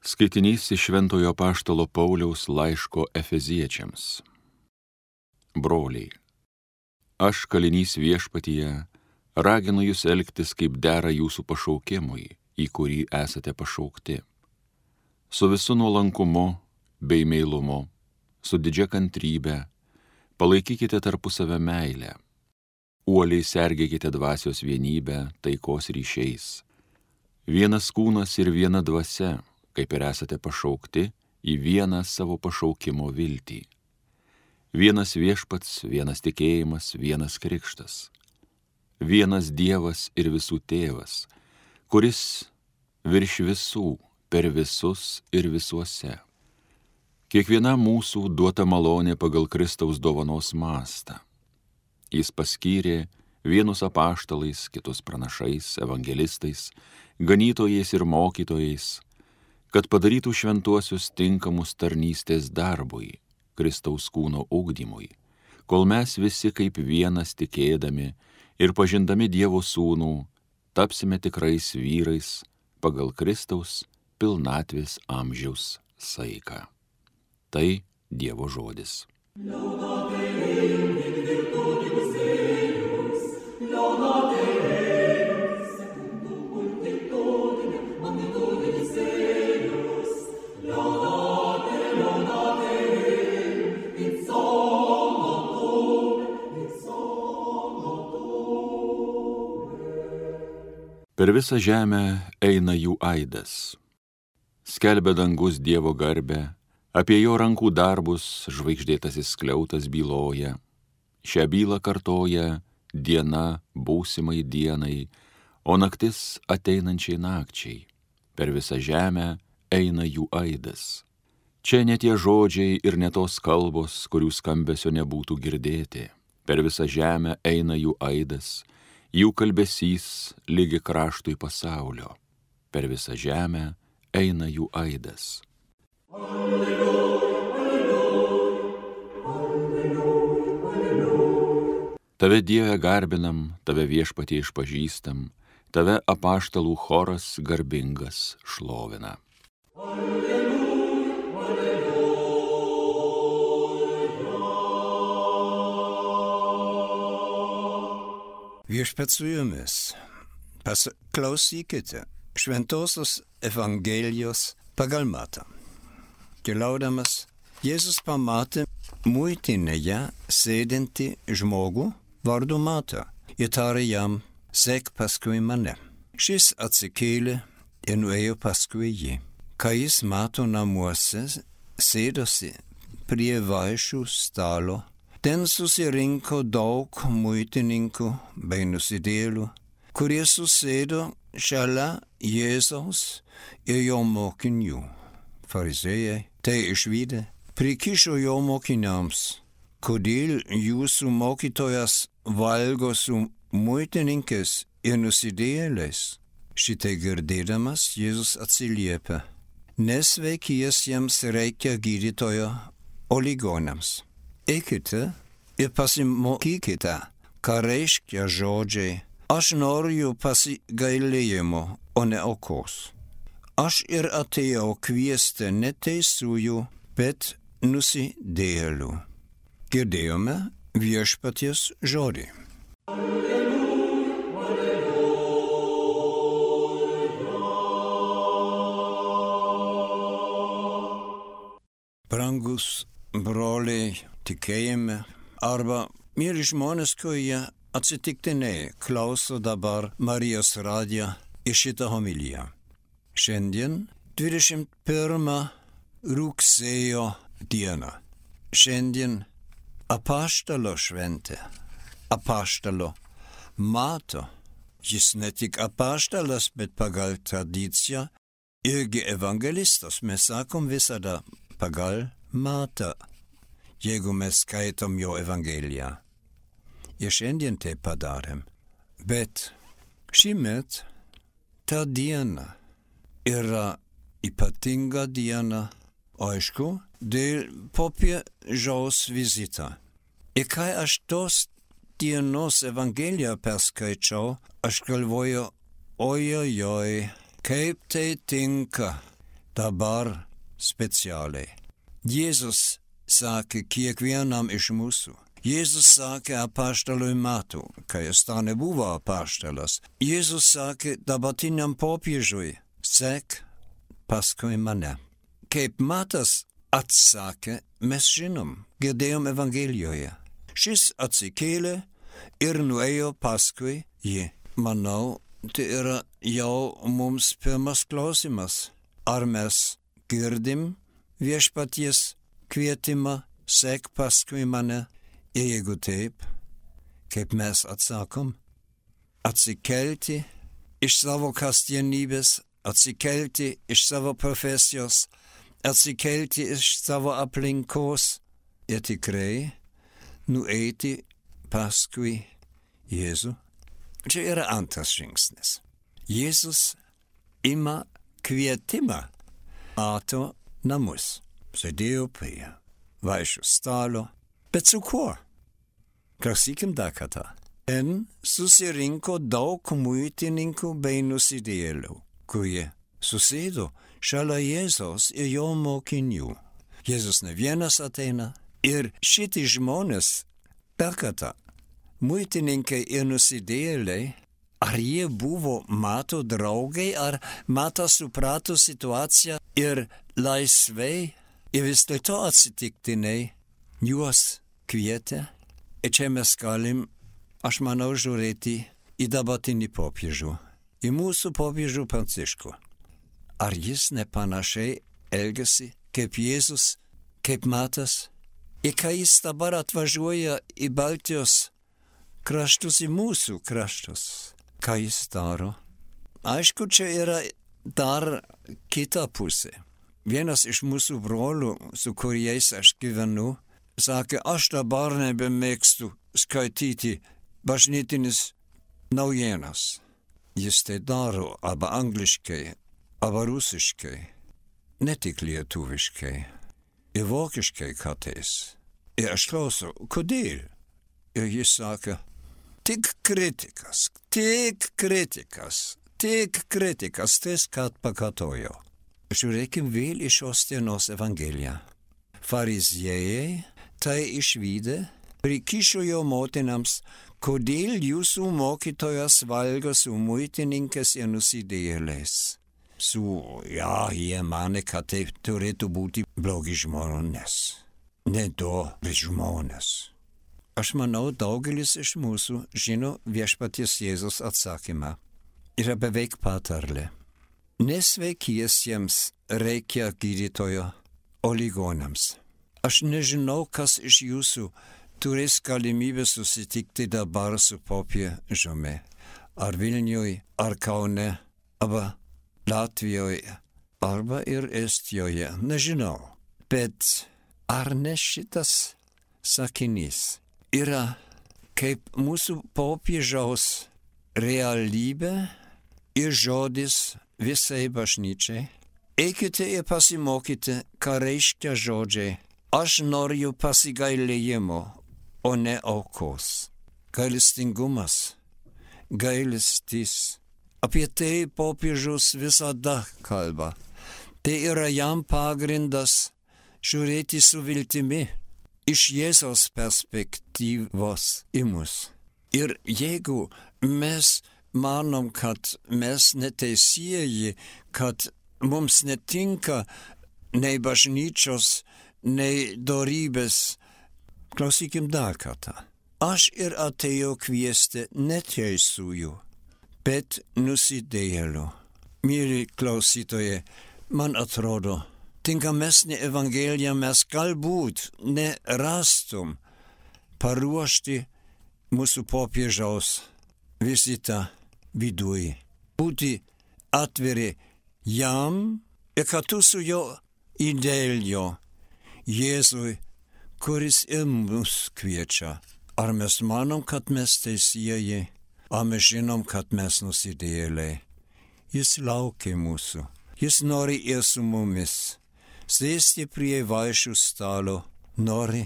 Skaitinys iš Šventojo Apaštalo Pauliaus laiško Efeziečiams. Broliai, aš kalinys viešpatyje, raginu jūs elgtis kaip dera jūsų pašaukimui, į kurį esate pašaukti. Su visu nuolankumu bei meilumu, su didžia kantrybe, palaikykite tarpusavę meilę. Uoliai sergėkite dvasios vienybę taikos ryšiais. Vienas kūnas ir viena dvasia, kaip ir esate pašaukti į vieną savo pašaukimo viltį. Vienas viešpats, vienas tikėjimas, vienas krikštas. Vienas Dievas ir visų tėvas, kuris virš visų, per visus ir visuose. Kiekviena mūsų duota malonė pagal Kristaus dovanos mastą. Jis paskyrė vienus apaštalais, kitus pranašais, evangelistais, ganytojais ir mokytojais, kad padarytų šventuosius tinkamus tarnystės darbui, Kristaus kūno ugdymui, kol mes visi kaip vienas tikėdami ir pažindami Dievo sūnų, tapsime tikrais vyrais pagal Kristaus pilnatvės amžiaus saiką. Tai Dievo žodis. Per visą žemę eina jų aidas. Skelbia dangus Dievo garbę, apie jo rankų darbus žvaigždėtasis skliautas byloja. Šią bylą kartoja diena būsimai dienai, o naktis ateinančiai nakčiai. Per visą žemę eina jų aidas. Čia ne tie žodžiai ir ne tos kalbos, kurių skambesio nebūtų girdėti. Per visą žemę eina jų aidas, jų kalbesys lygi kraštui pasaulio. Per visą žemę eina jų aidas. Alleluja, alleluja, alleluja, alleluja. Tave Dieve garbinam, tave viešpatie išpažįstam, tave apaštalų choras garbingas šlovina. Alleluja, alleluja. Viešpats su jumis. Klausykite Šventosios Evangelijos pagal Matą. Keliaudamas, Jėzus pamatė muitinėje sėdintį žmogų vardu Matą ir tarė jam: sek paskui mane. Šis atsikėlė ir nuėjo paskui jį. Kai jis Mato namuose sėdosi prie vaišių stalo, ten susirinko daug muitininkų bei nusidėjėlių, kurie susėdo šalia Jėzaus ir jo mokinių. Farizėjai tai išvydę prikišo jo mokiniams: kodėl jūsų mokytojas valgo su muitininkais ir nusidėjėliais? Šitai girdėdamas Jėzus atsiliepia: nesveikiesiems reikia gydytojo, o ligoniams. Eikite ir pasimokykite, ką reiškia žodžiai: aš noriu pasigailėjimo, o ne aukos. Aš ir atėjau kviesti ne teisiųjų, bet nusidėjėlių. Girdėjome viešpaties žodį. Alleluja, alleluja. Brangus broliai tikėjime arba myli žmonės, kurie atsitiktinai klauso dabar Marijos radiją ir šitą homiliją. Šiandien 21 rugsėjo diena. Šiandien apaštalo šventė. Apaštalo Mato. Jis ne tik apaštalas, bet pagal tradiciją irgi evangelistas. Mes sakom visada pagal Matą, jeigu mes skaitom jo evangeliją. Ir šiandien tai padarėm. Bet šįmet ta diena yra ypatinga diena, aišku, dėl popiežiaus vizito. Ir kai aš tos dienos evangeliją perskaičiau, aš galvoju: ojojoj, kaip tai tinka dabar specialiai. Jėzus sakė kiekvienam iš mūsų. Jėzus sakė apaštalui Matui, kai jis dar nebuvo apaštalas. Jėzus sakė dabartiniam popiežiui, sek paskui mane. Kaip Matas atsakė, mes žinom, girdėjom Evangelijoje. Šis atsikėlė ir nuėjo paskui jį. Manau, tai yra jau mums pirmas klausimas. Ar mes girdim viešpaties kvietimą, sek paskui mane? Ir jeigu taip, kaip mes atsakom, atsikelti iš savo kasdienybės, atsikelti iš savo profesijos, atsikelti iš savo aplinkos ir tikrai nueiti paskui Jėzų. Čia yra antras žingsnis. Jėzus ima kvietimą mato namus. Sėdėjo prie vaišių stalo. Bet su kuo? Klausykim dar kartą. Ten susirinko daug muitininkų bei nusidėjėlių, kurie susėdo šalia Jėzaus ir jo mokinių. Jėzus ne vienas ateina ir šitie žmonės dar kartą. Muitininkai ir nusidėjėliai, ar jie buvo Mato draugai, ar Matas suprato situaciją ir laisvai ir vis dėlto atsitiktinai juos kvietė. Ir čia mes galim, aš manau, žiūrėti į dabartinį popiežių, į mūsų popiežių Pranciškų. Ar jis nepanašiai elgiasi kaip Jėzus, kaip Matas? Ir kai jis dabar atvažiuoja į Baltijos kraštus, į mūsų kraštus, ką jis daro? Aišku, čia yra dar kita pusė. Vienas iš mūsų brolių, su kuriais aš gyvenu, sakė, aš dabar nebemėgstu skaityti bažnytinis naujienas. Jis tai daro arba angliškai, arba rusiškai, ne tik lietuviškai, ir vokiškai kartais. Ir aš klausau, kodėl? Ir jis sakė, tik kritikas, kart pakartojo. Žiūrėkim vėl į šios dienos Evangeliją. Fariziejai tai išvydę, prikišo jo motinams, kodėl jūsų mokytojas valgo su muitininkais ir nusidėjėliais. Jie mane, kad tai turėtų būti blogi žmonės, nedori žmonės. Aš manau, daugelis iš mūsų žino viešpaties Jėzus atsakymą. Yra beveik patarlė. Nesveikiesiems reikia gydytojo, o ligoniams. Aš nežinau, kas iš jūsų turės galimybę susitikti dabar su popiežiumi. Ar Vilniuje, ar Kaune, arba Latvijoje, arba ir Estijoje. Nežinau. Bet ar ne šitas sakinys yra kaip mūsų popiežiaus realybė ir žodis visai bažnyčiai? Eikite ir pasimokite, ką reiškia žodžiai. Aš noriu pasigailėjimo, o ne aukos. Gailestingumas, gailestis. Apie tai popiežius visada kalba. Tai yra jam pagrindas žiūrėti su viltimi iš Jėzaus perspektyvos į mus. Ir jeigu mes manom, kad mes neteisieji, kad mums netinka nei bažnyčios, nei dorybės, klausykim dar kartą. Aš ir atėjau kviesti neteisųjų, bet nusidėjėlių. Myli klausytojai, man atrodo, tinkamesnė Evangelija mes galbūt nerastum paruošti mūsų popiežiaus vizitą viduj. Būti atviri jam ir kartu su jo idėlio Jėzui, kuris ir mus kviečia. Ar mes manom, kad mes teisieji, ar mes žinom, kad mes nusidėjėliai. Jis laukia mūsų. Jis nori ir su mumis. Sėsti prie vaišių stalo, nori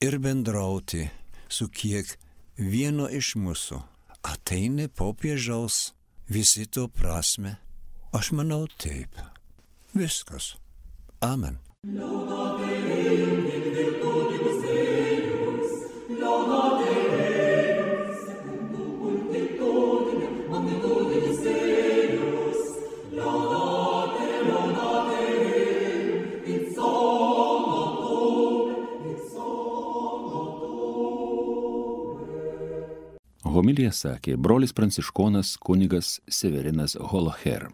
ir bendrauti su kiekvieno iš mūsų. Ateina popiežiaus vizito prasme? Aš manau taip. Viskas. Amen. Homiliją sakė brolis pranciškonas kunigas Severinas Holoher.